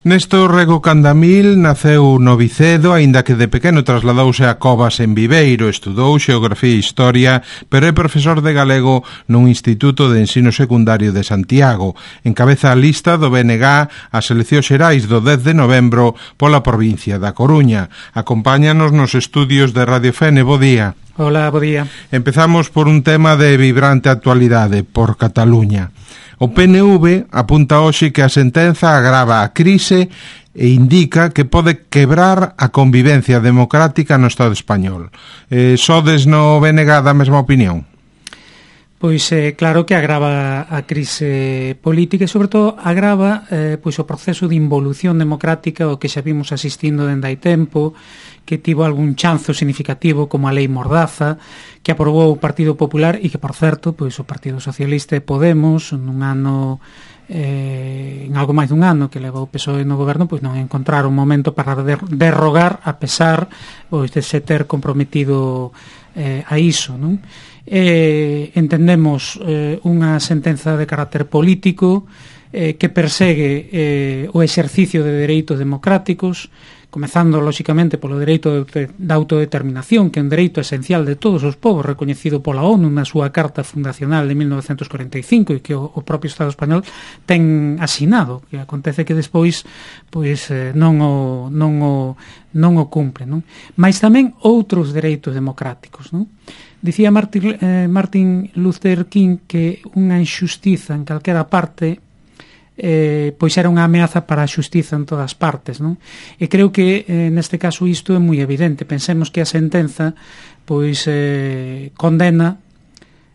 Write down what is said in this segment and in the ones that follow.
Néstor Rego Candamil naceu no Vicedo, aínda que de pequeno trasladouse a Covas en Viveiro, estudou Xeografía e Historia, pero é profesor de galego nun Instituto de Ensino Secundario de Santiago. Encabeza a lista do BNG ás eleccións xerais do 10 de novembro pola provincia da Coruña. Acompáñanos nos estudios de Radio Fene. Bo día. Hola, bo día. Empezamos por un tema de vibrante actualidade, por Cataluña. O PNV apunta hoxe que a sentenza agrava a crise e indica que pode quebrar a convivencia democrática no Estado español. Sodes no BNG da mesma opinión? Pois claro que agrava a crise política e, sobre todo, agrava pois o proceso de involución democrática o que xa vimos asistindo dende hai tempo, que tivo algún chanzo significativo como a Lei Mordaza, que aprobou o Partido Popular e que, por certo, pois o Partido Socialista e Podemos, nun ano en algo máis dun ano que levou o PSOE no goberno, pois non encontraron un momento para derrogar a pesar pois de se ter comprometido a iso, non? Entendemos unha sentenza de carácter político que persegue o exercicio de dereitos democráticos, comezando, lóxicamente, polo dereito da autodeterminación, que é un dereito esencial de todos os povos, recoñecido pola ONU na súa Carta Fundacional de 1945 e que o propio Estado español ten asinado, que acontece que despois pois non o cumpre, non? Mais tamén outros dereitos democráticos, non? Dicía Martin Luther King que unha injustiza en calquera parte pois era unha ameaza para a xustiza en todas partes, non? E creo que neste caso isto é moi evidente. Pensemos que a sentenza pois condena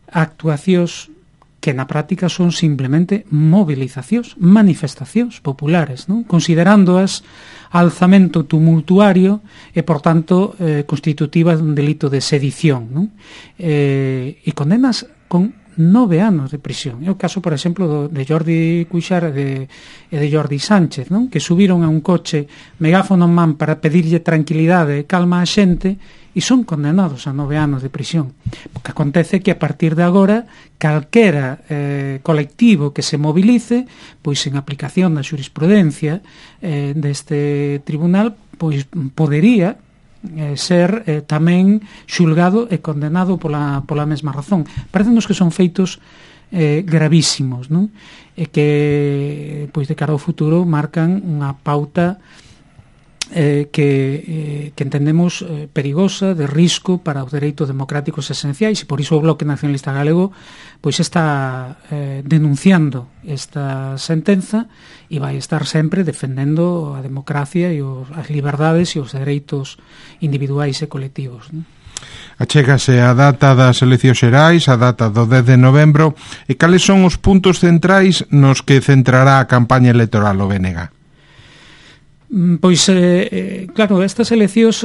actuacións que na práctica son simplemente movilizacións, manifestacións populares, non? Considerándoas alzamento tumultuario e, por tanto, constitutivas dun delito de sedición, non? E condenas con 9 anos de prisión. É o caso, por exemplo, de Jordi Cuixart e de Jordi Sánchez, non? Que subiron a un coche megáfono en man para pedirlle tranquilidade e calma á xente e son condenados a 9 anos de prisión. Porque acontece que a partir de agora calquera colectivo que se movilice, pois en aplicación da xurisprudencia deste tribunal, pois podería ser tamén xulgado e condenado pola mesma razón. Parécenos que son feitos gravísimos, non? E que pois de cara ao futuro marcan unha pauta que entendemos perigosa, de risco para os dereitos democráticos esenciais, e por iso o Bloque Nacionalista Galego pois está denunciando esta sentenza e vai estar sempre defendendo a democracia e as liberdades e os dereitos individuais e colectivos, non? Achégase a data das eleccións xerais, a data do 10 de novembro, e cales son os puntos centrais nos que centrará a campaña electoral o BNG? Pois, claro, estas eleccións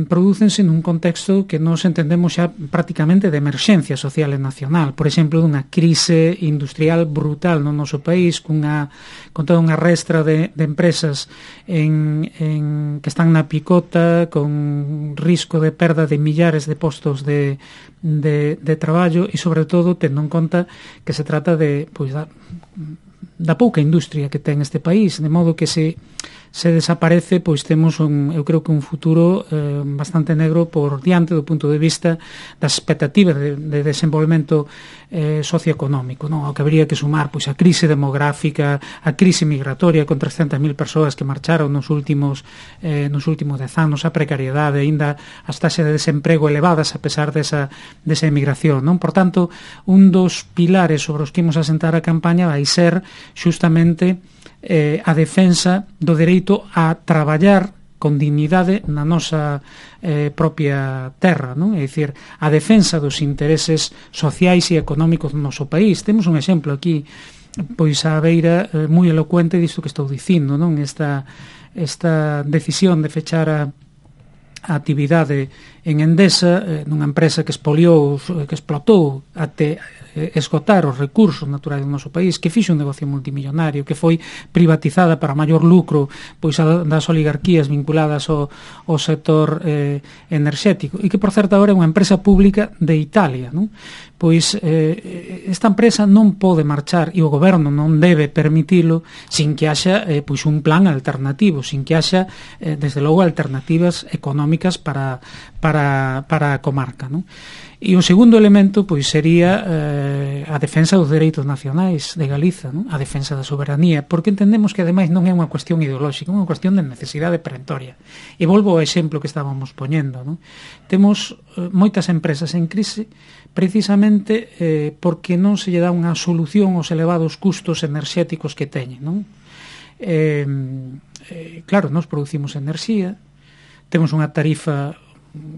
prodúcense nun contexto que nos entendemos xa prácticamente de emerxencia social e nacional, por exemplo, dunha crise industrial brutal no noso país, con toda unha restra de empresas que están na picota, con risco de perda de millares de postos de traballo e, sobre todo, tendo en conta que se trata de da pouca industria que ten este país, de modo que se desaparece, pois temos eu creo que un futuro bastante negro por diante do punto de vista das expectativas de desenvolvemento socioeconómico, non? O que habría que sumar pois a crise demográfica, a crise migratoria con 300.000 persoas que marcharon nos últimos 10 anos, a precariedade, aínda as taxas de desemprego elevadas a pesar desa emigración, non? Por tanto, un dos pilares sobre os que imos asentar a campaña vai ser xustamente a defensa do dereito a traballar con dignidade na nosa propia terra, non? É dicir, a defensa dos intereses sociais e económicos do noso país. Temos un exemplo aquí, pois a beira moi elocuente disto que estou dicindo, non? Esta decisión de fechar a actividade en Endesa, nunha empresa que expoliou, que explotou até esgotar os recursos naturais do noso país, que fixo un negocio multimillonario, que foi privatizada para maior lucro pois das oligarquías vinculadas ao sector enerxético, e que, por certo, agora é unha empresa pública de Italia, non? Pois esta empresa non pode marchar, e o goberno non debe permitilo sin que haxa pois un plan alternativo, sin que haxa desde logo alternativas económicas para a comarca, non? E o segundo elemento pois sería a defensa dos dereitos nacionais de Galiza, non? A defensa da soberanía, porque entendemos que ademais non é unha cuestión ideolóxica, é unha cuestión de necesidade perentoria. E volvo ao exemplo que estábamos poñendo, non? Temos moitas empresas en crise precisamente porque non se lle dá unha solución aos elevados custos enerxéticos que teñen, non? Claro, nós producimos enerxía, temos unha tarifa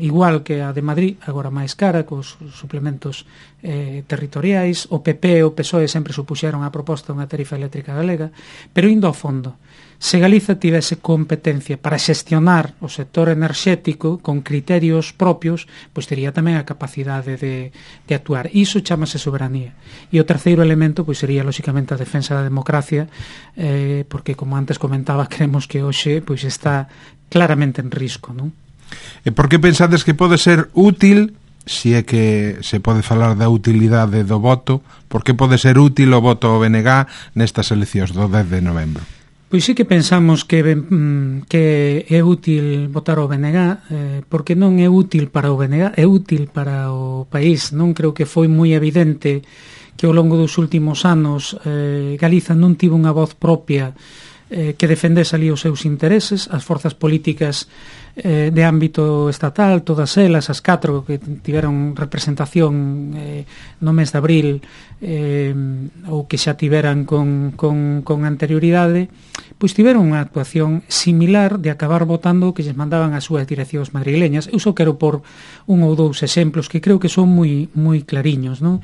igual que a de Madrid, agora máis cara, cos suplementos territoriais. O PP e o PSOE sempre supuxeron a proposta dunha tarifa eléctrica galega, pero indo ao fondo, se Galiza tivese competencia para xestionar o sector enerxético con criterios propios, pois tería tamén a capacidade de actuar. Iso chamase soberanía. E o terceiro elemento pois sería, lóxicamente, a defensa da democracia, porque, como antes comentaba, creemos que hoxe pois está claramente en risco, non? E por que pensades que pode ser útil, se é que se pode falar da utilidade do voto, por que pode ser útil o voto ao BNG nestas eleccións do 10 de novembro? Pois sí que pensamos que é útil votar ao BNG, porque non é útil para o BNG, é útil para o país. Non creo que foi moi evidente que ao longo dos últimos anos Galiza non tivo unha voz propia que defendese ali os seus intereses. As forzas políticas de ámbito estatal, todas elas, as 4 que tiveron representación no mes de abril ou que xa tiveran con anterioridade, pois tiveron unha actuación similar de acabar votando o que lles mandaban as súas direccións madrileñas. Eu só quero por un ou dous exemplos que creo que son moi clariños, non?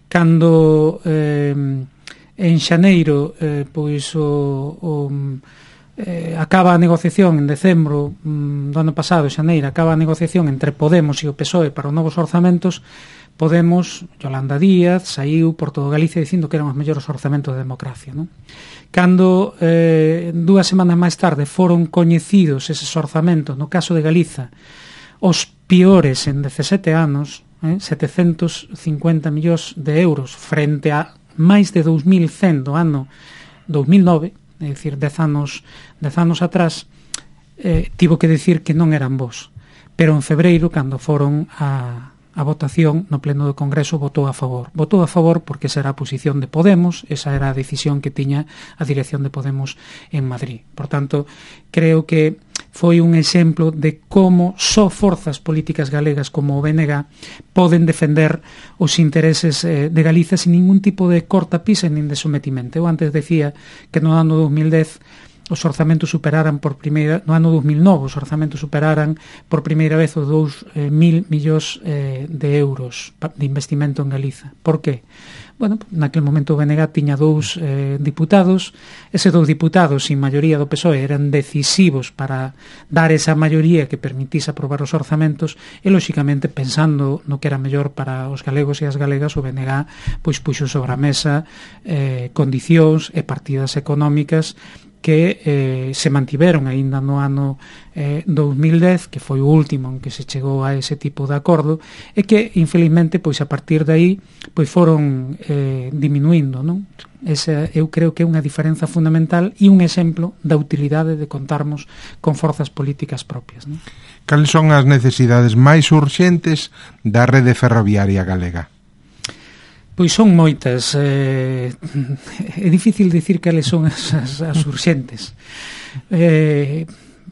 Cando en xaneiro pois acaba a negociación en decembro do ano pasado, xaneiro, acaba a negociación entre Podemos e o PSOE para os novos orzamentos. Podemos, Yolanda Díaz, saiu por todo Galicia dicindo que eran os mellores orzamentos de democracia, non? Cando 2 semanas máis tarde foron coñecidos eses orzamentos, no caso de Galiza, os piores en 17 anos, 750 millóns de euros frente a máis de 2.100 do ano 2009, é dicir, 10 anos atrás, tivo que decir que non eran bons. Pero en febreiro, cando foron a votación no pleno do Congreso, votou a favor. Votou a favor porque esa era a posición de Podemos, esa era a decisión que tiña a dirección de Podemos en Madrid. Por tanto, creo que foi un exemplo de como só forzas políticas galegas como o BNG poden defender os intereses de Galiza sin ningún tipo de cortapisa nin de sometimento. Eu antes decía que no ano 2010 os orzamentos superaran por primeira, no ano 2009 os orzamentos superaran por primeira vez os 2.000 millóns de euros de investimento en Galiza. Por qué? Bueno, naquele momento o BNG tiña 2 diputados. Eses 2 diputados, sin maioría do PSOE, eran decisivos para dar esa maioría que permitise aprobar os orzamentos e, lóxicamente, pensando no que era mellor para os galegos e as galegas, o BNG pois puxo sobre a mesa condicións e partidas económicas que se mantiveron aínda no ano 2010, que foi o último en que se chegou a ese tipo de acordo, e que, infelizmente, pois a partir de aí pois foron diminuindo, non? Esa, eu creo que é unha diferenza fundamental e un exemplo da utilidade de contarmos con forzas políticas propias, non? Cales son as necesidades máis urxentes da rede ferroviaria galega? Pois son moitas. É difícil dicir cales son as urxentes.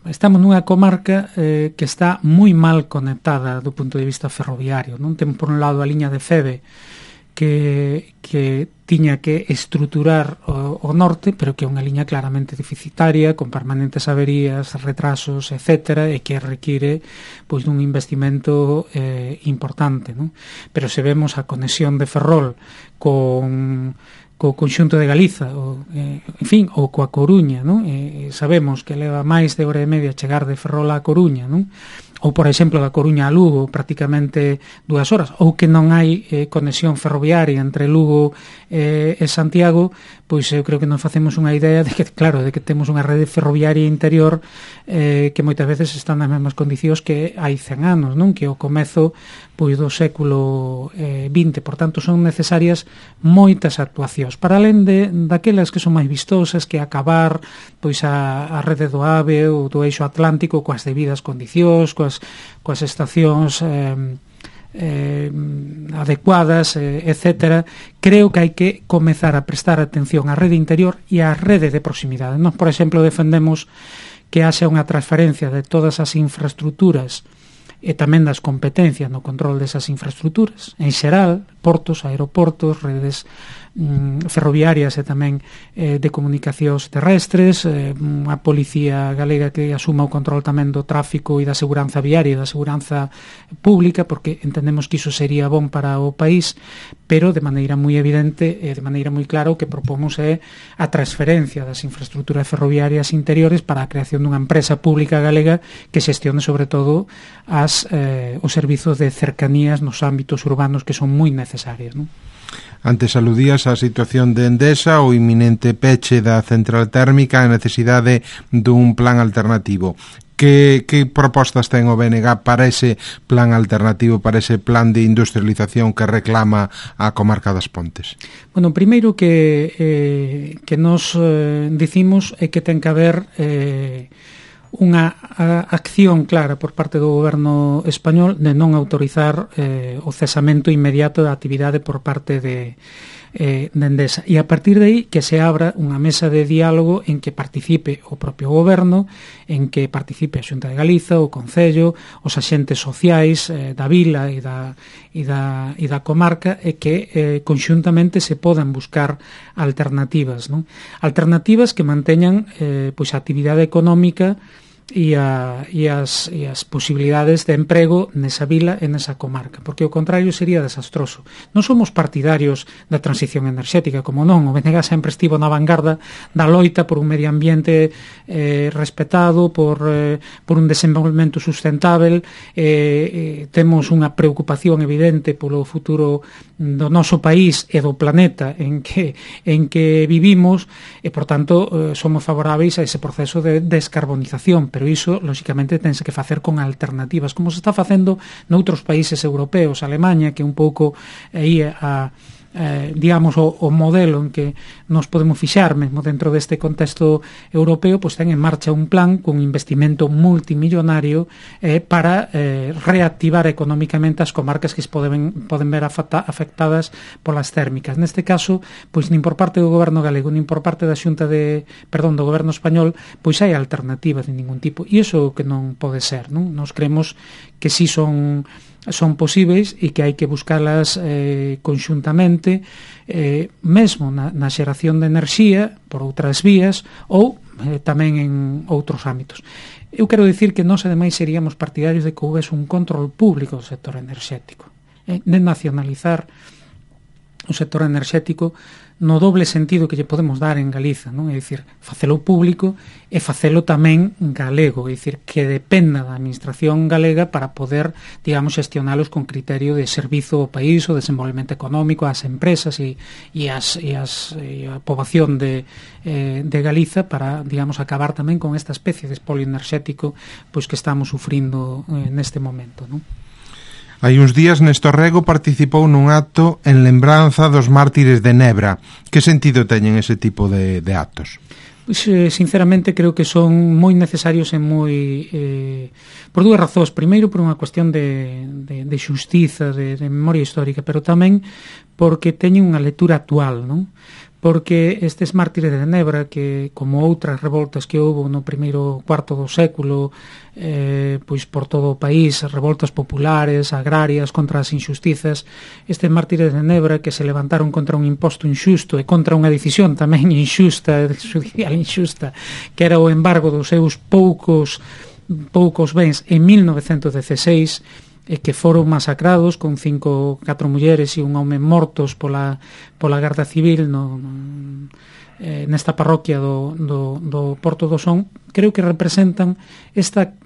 Estamos nunha comarca que está moi mal conectada do punto de vista ferroviario, non? Temos por un lado a liña de Feve que tiña que estruturar o norte, pero que é unha liña claramente deficitaria, con permanentes averías, retrasos, etc., e que require pois dun investimento importante, non? Pero se vemos a conexión de Ferrol co conxunto de Galiza, en fin, ou coa Coruña, non? Sabemos que leva máis de hora e media chegar de Ferrol á Coruña, non? ou por exemplo da Coruña a Lugo prácticamente 2 horas, ou que non hai conexión ferroviaria entre Lugo e Santiago, pois eu creo que nos facemos unha idea de que, claro, de que temos unha rede ferroviaria interior que moitas veces están nas mesmas condicións que hai 100 anos, non? Que o comezo pois do século XX. Por tanto, son necesarias moitas actuacións, para alén daquelas que son máis vistosas, que acabar pois a rede do AVE ou do eixo atlántico coas debidas condicións, coas estacións adecuadas, etcétera. Creo que hai que comezar a prestar atención á rede interior e á rede de proximidade. Nós, por exemplo, defendemos que haxa unha transferencia de todas as infraestructuras e tamén das competencias no control desas infraestructuras, en xeral, portos, aeroportos, redes ferroviarias e tamén de comunicacións terrestres, a Policía Galega que asuma o control tamén do tráfico e da seguranza viaria e da seguranza pública, porque entendemos que iso sería bon para o país, pero de maneira moi evidente e de maneira moi clara o que propomos é a transferencia das infraestructuras ferroviarias interiores para a creación dunha empresa pública galega que xestione sobre todo os servizos de cercanías nos ámbitos urbanos que son moi necesarios, non? Antes aludías á situación de Endesa, o inminente peche da central térmica, a necesidade dun plan alternativo. Que propostas ten o BNG para ese plan alternativo, para ese plan de industrialización que reclama a comarca das Pontes? Bueno, primeiro que nos dicimos é que ten que haber unha acción clara por parte do goberno español de non autorizar o cesamento inmediato da actividade por parte de Endesa, e a partir de aí que se abra unha mesa de diálogo en que participe o propio goberno, en que participe a Xunta de Galiza, o Concello, os axentes sociais da vila e da comarca, e que conxuntamente se podan buscar alternativas, non? Alternativas que manteñan pois a actividade económica e as posibilidades de emprego nesa vila e nesa comarca, porque o contrario sería desastroso. Non somos partidarios da transición enerxética, como non, o BNG sempre estivo na vanguarda da loita por un medio ambiente respetado, por un desenvolvemento sustentável, temos unha preocupación evidente polo futuro do noso país e do planeta en que vivimos, e por tanto somos favoráveis a ese proceso de descarbonización, pero iso, lóxicamente, tense que facer con alternativas, como se está facendo noutros países europeos. Alemanha, que un pouco aí digamos, o modelo en que nos podemos fixar mesmo dentro deste contexto europeo, pois ten en marcha un plan con investimento multimillonario para reactivar económicamente as comarcas que poden ver afectadas polas térmicas. Neste caso, pois nin por parte do goberno galego, nin por parte da Xunta do goberno español, pois hai alternativas de ningún tipo, e iso que non pode ser, non? Nos creemos que si son posíveis e que hai que buscalas conxuntamente, mesmo na xeración de enerxía por outras vías ou tamén en outros ámbitos. Eu quero dicir que nós ademais seríamos partidarios de que houvese un control público do sector enerxético, de nacionalizar o sector enerxético no doble sentido que lle podemos dar en Galiza, non? É dicir, facelo público e facelo tamén galego, é dicir, que dependa da administración galega para poder, digamos, xestionalos con criterio de servizo ao país, o desenvolvemento económico, ás empresas e a poboación de Galiza, para, digamos, acabar tamén con esta especie de espolio enerxético pois que estamos sufrindo neste momento, non? Hai uns días Néstor Rego participou nun acto en lembranza dos mártires de Nebra. Que sentido teñen ese tipo de actos? Pois, sinceramente, creo que son moi necesarios e moi por dúas razóns. Primeiro, por unha cuestión de xustiza, de memoria histórica, pero tamén porque teñen unha lectura actual, non? Porque estes mártires de Nebra, que como outras revoltas que houve no primeiro cuarto do século, pois por todo o país, revoltas populares, agrarias, contra as injustizas, estes mártires de Nebra que se levantaron contra un imposto injusto e contra unha decisión tamén injusta, judicial injusta, que era o embargo dos seus poucos bens en 1916, e que foron masacrados con 4 mulleres e un home mortos pola Garda Civil nesta parroquia do Porto do Son. Creo que representan esta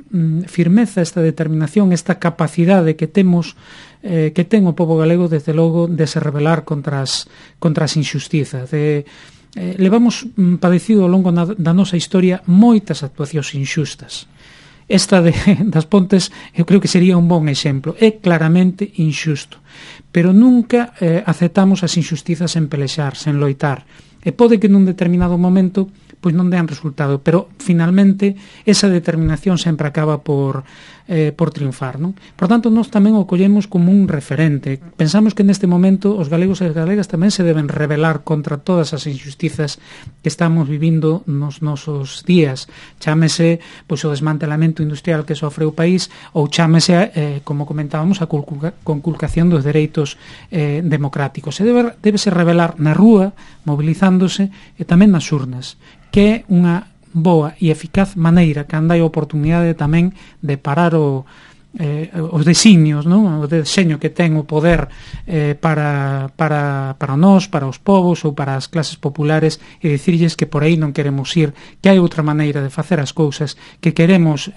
firmeza, esta determinación, esta capacidade que temos, que ten o pobo galego, desde logo, de se rebelar contra as injustizas, levamos padecido ao longo da nosa historia moitas actuacións inxustas. Esta das Pontes eu creo que sería un bon exemplo. É claramente inxusto, pero nunca aceptamos as injustizas sen pelexar, sen loitar. E pode que nun determinado momento pois non dean resultado, pero finalmente esa determinación sempre acaba por triunfar, non? Por tanto, nós tamén o collemos como un referente. Pensamos que neste momento os galegos e as galegas tamén se deben rebelar contra todas as injustizas que estamos vivindo nos nosos días. Chámese pois o desmantelamento industrial que sofre o país, ou chámese, como comentábamos, a conculcación dos dereitos democráticos. Se debe rebelar na rúa, movilizándose, e tamén nas urnas, que é unha boa e eficaz maneira que anda a oportunidade tamén de parar os designios, non? O deseño que ten o poder para nós, para os povos ou para as clases populares, e dicirlles que por aí non queremos ir, que hai outra maneira de facer as cousas, que queremos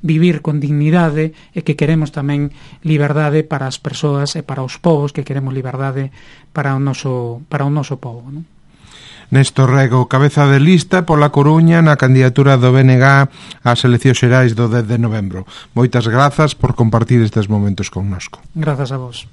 vivir con dignidade e que queremos tamén liberdade para as persoas e para os povos, que queremos liberdade para o noso povo, non? Néstor Rego, cabeza de lista pola Coruña na candidatura do BNG ás eleccións xerais do 10 de novembro. Moitas grazas por compartir estes momentos connosco. Grazas a vos.